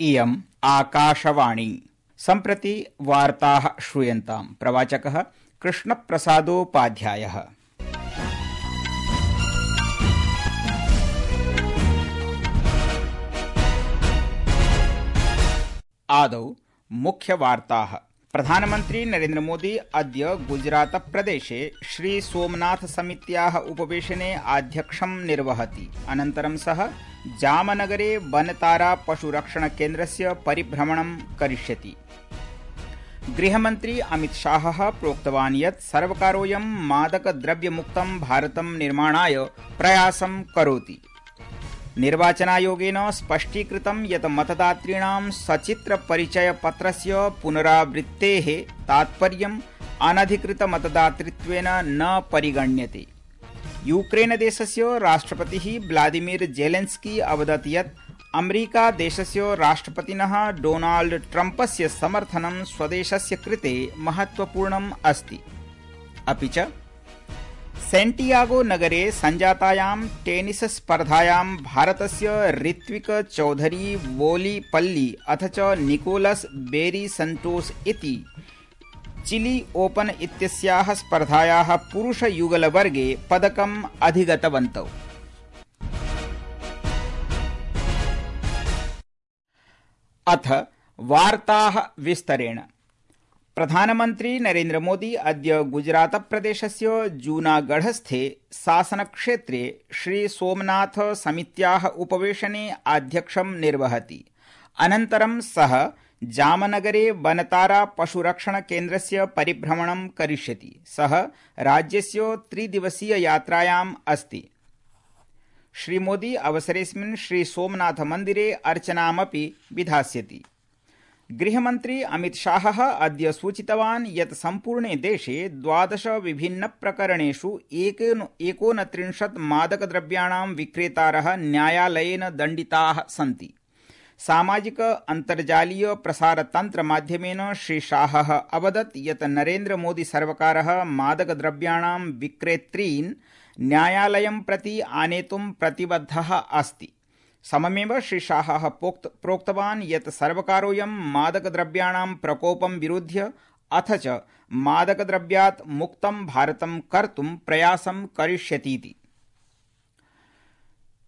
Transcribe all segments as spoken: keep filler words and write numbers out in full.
इयम् आकाशवाणी। सम्प्रति वार्ताः श्रूयन्ताम्। प्रवाचकः कृष्णप्रसादोपाध्यायः। आदौ मुख्यवार्ताः। प्रधानमन्त्री नरेन्द्र मोदी अद्य गुजरात प्रदेशे श्री सोमनाथ समित्याः उपवेशने आध्यक्षं निर्वहति। अनन्तरं सः जामनगरे बनतारा पशुरक्षण केन्द्रस्य परिभ्रमणं करिष्यति। गृहमन्त्री अमित शाहः प्रोक्तवान् यत् सर्वकारोऽयं मादकद्रव्यमुक्तं भारतं निर्माणाय प्रयासं करोति। निर्वाचनायोगेन स्पष्टीकृतं यत् मतदातॄणां सचित्रपरिचयपत्रस्य पुनरावृत्तेः तात्पर्यम् अनधिकृतमतदातृत्वेन न परिगण्यते। यूक्रेनदेशस्य राष्ट्रपतिः व्लादिमीर जेलेन्स्की अवदत् यत् अमेरिकादेशस्य राष्ट्रपतिनः डोनाल्ड ट्रम्पस्य समर्थनं स्वदेशस्य कृते महत्वपूर्णम् अस्ति। अपि च सेंटियागो नगरे सञ्जातायां टेनिस स्पर्धायां भारतस्य ऋत्विक चौधरी वोलीपल्ली अथ च निकोलस बेरी संतोष इति चिली ओपन इत्यस्याः स्पर्धायाः पुरुषयुगलवर्गे पदकम् अधिगतवन्तौ। अथ वार्ताः विस्तरेण। प्रधानमन्त्री नरेन्द्र मोदी अद्य गुजरात प्रदेशस्य जूनागढ़स्थे शासनक्षेत्रे श्री सोमनाथ समित्याः उपवेशने आध्यक्षं निर्वहति। अनन्तरं सः जामनगरे बनतारा पशुरक्षण केन्द्रस्य परिभ्रमणं करिष्यति। सः राज्यस्य त्रिदिवसीय यात्रायाम् अस्ति। श्री मोदी अवसरेऽस्मिन् श्री सोमनाथ मन्दिरे अर्चनामपि विधास्यति। गृहमन्त्री अमित शाहः अद्य सूचितवान् यत् सम्पूर्णे देशे द्वादश विभिन्न प्रकरणेषु एकोनत्रिंशत् मादकद्रव्याणां विक्रेतारः न्यायालयेन दण्डिताः सन्ति। सामाजिक अन्तर्जालीय प्रसारतन्त्र माध्यमेन श्री शाहः अवदत् यत् नरेन्द्र मोदी सर्वकारः मादकद्रव्याणां विक्रेतॄन् न्यायालयं प्रति आनेतुं प्रतिबद्धः अस्ति। सममेव श्री शाहः प्रोक्तवान् यत् सर्वकारोऽयं मादकद्रव्याणां प्रकोपं विरुध्य अथ च मादकद्रव्यात् मुक्तं भारतं कर्तुं प्रयासं करिष्यतीति।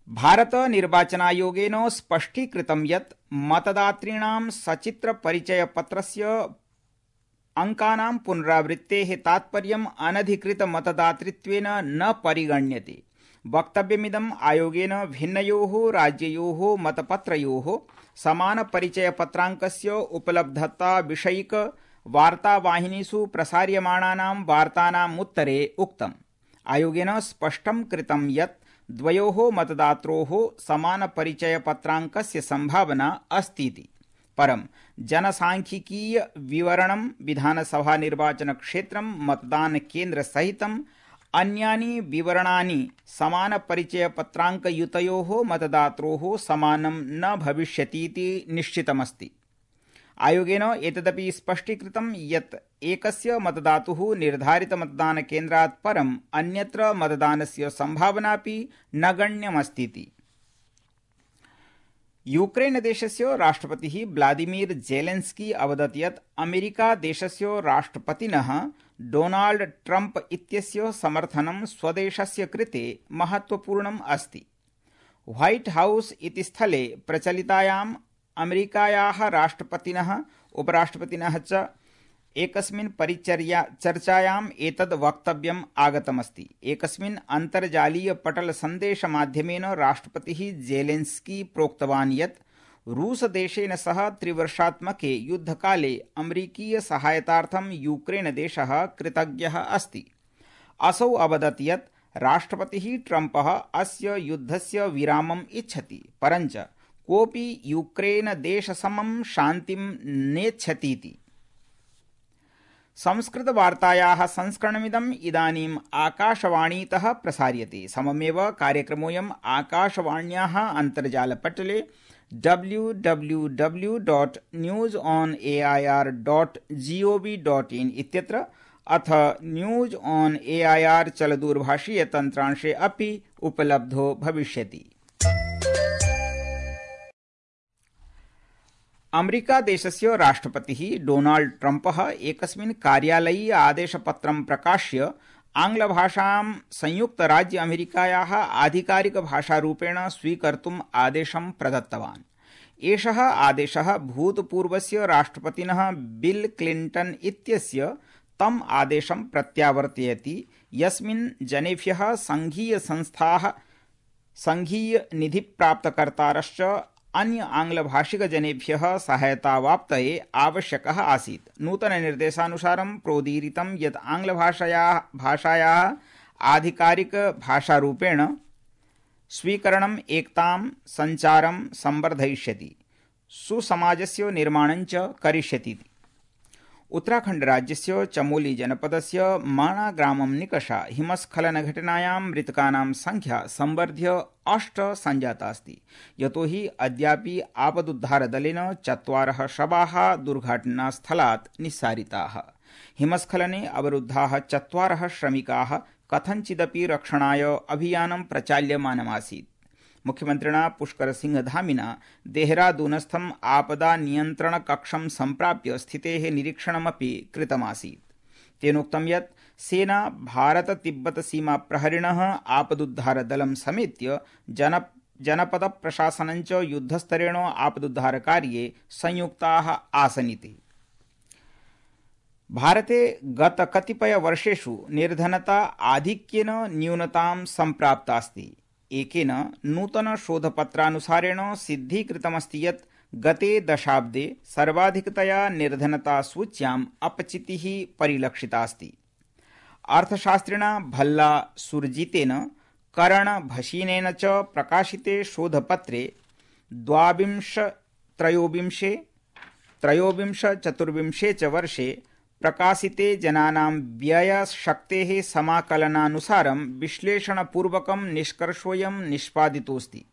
भारत निर्वाचनायोगेन स्पष्टीकृतं यत् मतदातॄणां सचित्रपरिचयपत्रस्य अंकानां पुनरावृत्तेः तात्पर्यम् अनधिकृतमतदातृत्वेन न परिगण्यते। वक्तव्यमिदम् आयोगेन भिन्नयोः राज्ययोः मतपत्रयोः समानपरिचयपत्राङ्कस्य उपलब्धता विषयिक वार्तावाहिनीषु प्रसार्यमाणानां वार्तानाम् उत्तरे उक्तम्। आयोगेन स्पष्टं कृतं यत् द्वयोः मतदात्रोः समानपरिचयपत्राङ्कस्य सम्भावना अस्तीति। परं जनसांख्यिकीय विवरणं विधानसभा निर्वाचनक्षेत्रं मतदानकेन्द्रसहितं अन्यानि विवरणानि समानपरिचयपत्राङ्कयुतयोः मतदात्रोः समानं न भविष्यतीति निश्चितमस्ति। आयोगेन एतदपि स्पष्टीकृतं यत् एकस्य मतदातुः निर्धारितमतदानकेन्द्रात् परम् अन्यत्र मतदानस्य सम्भावनापि न गण्यमस्तीति। यूक्रेनदेशस्य राष्ट्रपतिः व्लादिमीर जेलेन्स्की अवदत् यत् अमेरिकादेशस्य राष्ट्रपतिनः डोनाल्ड ट्रम्प इत्यस्य समर्थनं स्वदेशस्य कृते महत्वपूर्णम् अस्ति। व्हाइट हाउस इति स्थले प्रचलितायाम् अमेरिकायाः राष्ट्रपतिनः उपराष्ट्रपतिनः च एकस्मिन् परिचर्या चर्चायाम् एतद् वक्तव्यम् आगतमस्ति। एकस्मिन् अन्तर्जालीय पटल सन्देशमाध्यमेन राष्ट्रपतिः जेलेन्स्की प्रोक्तवान् यत् रूसदेशेन सह त्रिवर्षात्मके युद्धकाले अमेरिकीय सहायतार्थं यूक्रेनदेशः कृतज्ञः अस्ति। असौ अवदत् यत् राष्ट्रपतिः ट्रम्पः अस्य युद्धस्य विरामम् इच्छति, परञ्च कोऽपि यूक्रेनदेशसमं शान्तिं नेच्छतीति। संस्कृतवार्तायाः संस्करणमिदम् इदानीम् आकाशवाणीतः प्रसार्यते। सममेव कार्यक्रमोऽयम् आकाशवाण्याः अन्तर्जालपटले W W W dot news on A I R dot G O V dot in इत्यत्र अथ news on A I R चलदूरभाषीय तन्त्रांशे अपि उपलब्धो भविष्यति। अमेरिकादेशस्य राष्ट्रपतिः डोनाल्ड ट्रम्पः एकस्मिन् कार्यालयीय आदेशपत्रं प्रकाश्य आङ्ग्लभाषां संयुक्तराज्य अमेरिकायाः आधिकारिकभाषारूपेण स्वीकर्तुम् आदेशं प्रदत्तवान्। एषः आदेशः भूतपूर्वस्य राष्ट्रपतिनः बिल क्लिंटन इत्यस्य तम् आदेशं प्रत्यावर्तयति यस्मिन् जनेभ्यः संघीयसंस्थाः संघीयनिधिप्राप्तकर्तारश्च अन्य आङ्ग्लभाषिकजनेभ्यः सहायतावाप्तये आवश्यकः आसीत्। नूतननिर्देशानुसारं प्रोदीरितं यत् आङ्ग्लभाषायाः भाषायाः आधिकारिकभाषारूपेण स्वीकरणम् एकतां सञ्चारं संवर्धयिष्यति, सुसमाजस्य निर्माणं च करिष्यति। उत्तराखण्ड राज्यस्य चमोली जनपदस्य माणा ग्रामं निकषा हिमस्खलनघटनायां मृतकानां संख्या संवर्ध्य अष्ट सञ्जाता अस्ति। यतोहि अद्यापि आपदुद्धारदलेन चत्वारः शवाः दुर्घटनास्थलात् निस्सारिताः। हिमस्खलने अवरुद्धाः चत्वारः श्रमिकाः कथञ्चिदपि रक्षणाय अभियानं प्रचाल्यमानमासीत्। मुख्यमन्त्रिणा पुष्कर सिंह धामिना देहरादूनस्थम् आपदा नियन्त्रण कक्षं सम्प्राप्य स्थितेः निरीक्षणमपि कृतमासीत्। तेनोक्तं यत् सेना भारत तिब्बत सीमा प्रहरिणः आपदुद्धारदलं समेत्य जन जनपद प्रशासनं च युद्धस्तरेण आपदुद्धारकार्ये संयुक्ताः आसनिति। भारते गत कतिपय वर्षेषु निर्धनता आधिक्येन न्यूनतां सम्प्राप्तास्ति। एकेन नूतन शोधपत्रानुसारेण सिद्धीकृतमस्ति यत् गते दशाब्दे सर्वाधिकतया निर्धनता सूच्याम् अपचितिः परिलक्षितास्ति। अर्थशास्त्रिणा भल्ला सुरजितेन करण भसीनेन च प्रकाशिते शोधपत्रे द्वाविंश त्रयोविंशे त्रयोविंश चतुर्विंशे च वर्षे प्रकाशिते जनानां व्ययशक्तेः समाकलनानुसारं विश्लेषणपूर्वकं निष्कर्षोऽयं निष्पादितोऽस्ति।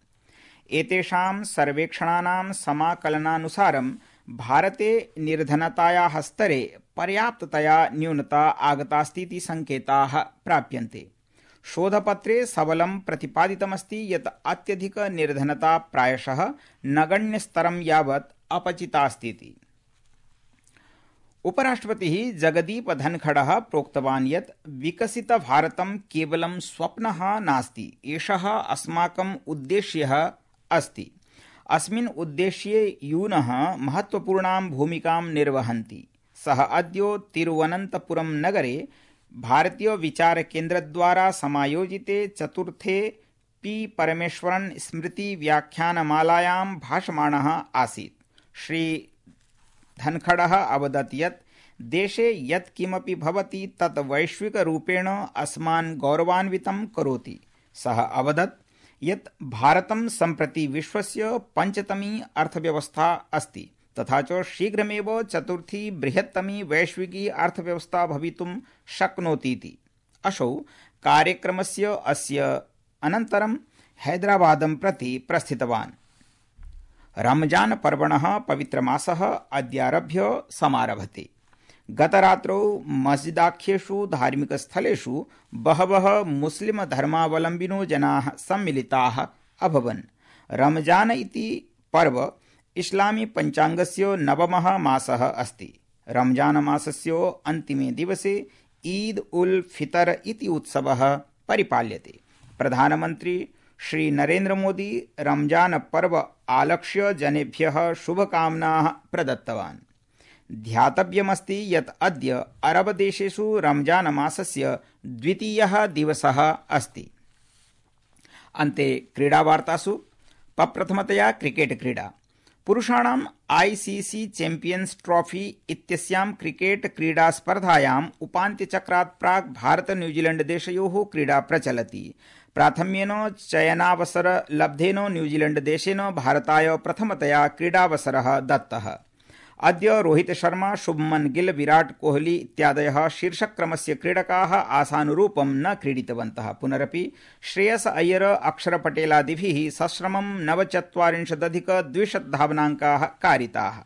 एतेषां सर्वेक्षणानां समाकलनानुसारं भारते निर्धनतायाः स्तरे पर्याप्ततया न्यूनता आगतास्तीति संकेताः प्राप्यन्ते। शोधपत्रे सबलं प्रतिपादितमस्ति यत् अत्यधिक निर्धनता प्रायशः नगण्यस्तरं यावत् अपचितास्तीति। उपराष्ट्रपतिः जगदीप धनखडः प्रोक्तवान् यत् विकसित भारतं केवलं स्वप्नः नास्ति, एषः अस्माकम् उद्देश्यः अस्ति। अस्मिन् उद्देश्ये यूनः महत्वपूर्णां भूमिकां निर्वहन्ति। सः अद्य तिरुवनन्तपुरं नगरे भारतीय विचार केन्द्रद्वारा समायोजिते चतुर्थे पी परमेश्वरन् स्मृति व्याख्यानमालायां भाषमाणः आसीत्। श्री धनखडः अवदत् यत् देशे यत् किमपि भवति तत् वैश्विकरूपेण अस्मान् गौरवान्वितं करोति। सः अवदत् यत् भारतं सम्प्रति विश्वस्य पञ्चतमी अर्थव्यवस्था अस्ति तथा च शीघ्रमेव चतुर्थी बृहत्तमी वैश्विकी अर्थव्यवस्था भवितुं शक्नोतीति। असौ कार्यक्रमस्य अस्य अनन्तरं हैदराबादं प्रति प्रस्थितवान्। रमजान पर्वणः पवित्रमासः अद्यारभ्य समारभते। गतरात्रौ मस्जिदाख्येषु धार्मिकस्थलेषु बहवः मुस्लिम धर्मावलम्बिनो जनाः सम्मिलिताः अभवन्। रमजान इति पर्व इस्लामी पञ्चाङ्गस्य नवमः मासः अस्ति। रमजान मासस्य अन्तिमे दिवसे ईद उल फितर इति उत्सवः परिपाल्यते। प्रधानमन्त्री श्री नरेन्द्र मोदी रमजान पर्व आलक्ष्य जनेभ्यः शुभकामनाः प्रदत्तवान्। ध्यातव्यमस्ति यत् अद्य अरबदेशेषु रमजान मासस्य द्वितीयः दिवसः अस्ति। अन्ते क्रीडावार्तासु प्रप्रथमतया क्रिकेट क्रीडा। पुरुषाणाम् आईसीसी चैम्पियन्स् ट्रॉफी इत्यस्यां क्रिकेट क्रीडा स्पर्धायाम् उपान्त्यचक्रात् प्राक् भारत न्यूजीलैण्ड देशयोः क्रीडा प्रचलति। प्राथम्येन चयनावसर लब्धेन न्यूजीलैण्ड देशेन भारताय प्रथमतया क्रीडावसरः दत्तः। अद्य रोहित शर्मा, शुभमन गिल, विराट कोहली इत्यादयः शीर्षक्रमस्य क्रीडकाः आशानुरूपं न क्रीडितवन्तः। पुनरपि श्रेयस अय्यर, अक्षर पटेलादिभिः सश्रमं नवचत्वारिंशदधिक द्विशत धावनाङ्काः कारिताः।